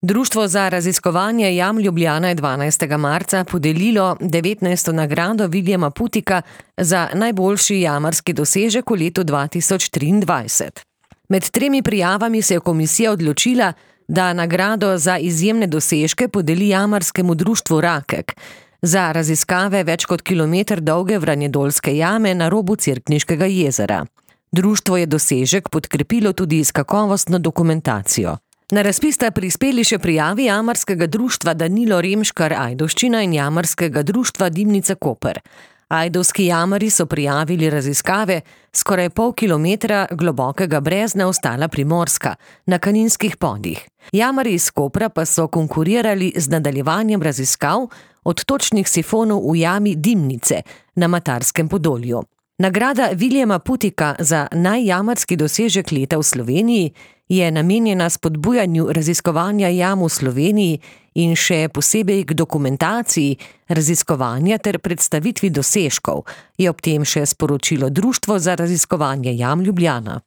Društvo za raziskovanje jam Ljubljana je 12. marca podelilo 19. nagrado Viljama Putika za najboljši jamarski dosežek v letu 2023. Med 3 prijavami se je komisija odločila, da nagrado za izjemne dosežke podeli jamarskemu društvu Rakek za raziskave več kot kilometer dolge Vranjedoljske jame na robu Cerkniškega jezera. Društvo je dosežek podkrepilo tudi s kakovostno dokumentacijo. Na razpis sta prispeli še prijavi jamarskega društva Danilo Remškar Ajdovščina in jamarskega društva Dimnica Koper. Ajdovski jamarji so prijavili raziskave skoraj pol kilometra globokega brezna ostala Primorska na Kaninskih podih. Jamarji iz Kopra pa so konkurirali z nadaljevanjem raziskav odtočnih sifonov v jami Dimnice na Matarskem Podolju. Nagrada Viljama Putika za najjamarski dosežek leta v Sloveniji je namenjena spodbujanju raziskovanja jam v Sloveniji in še posebej k dokumentaciji raziskovanja ter predstavitvi dosežkov, je ob tem še sporočilo Društvo za raziskovanje jam Ljubljana.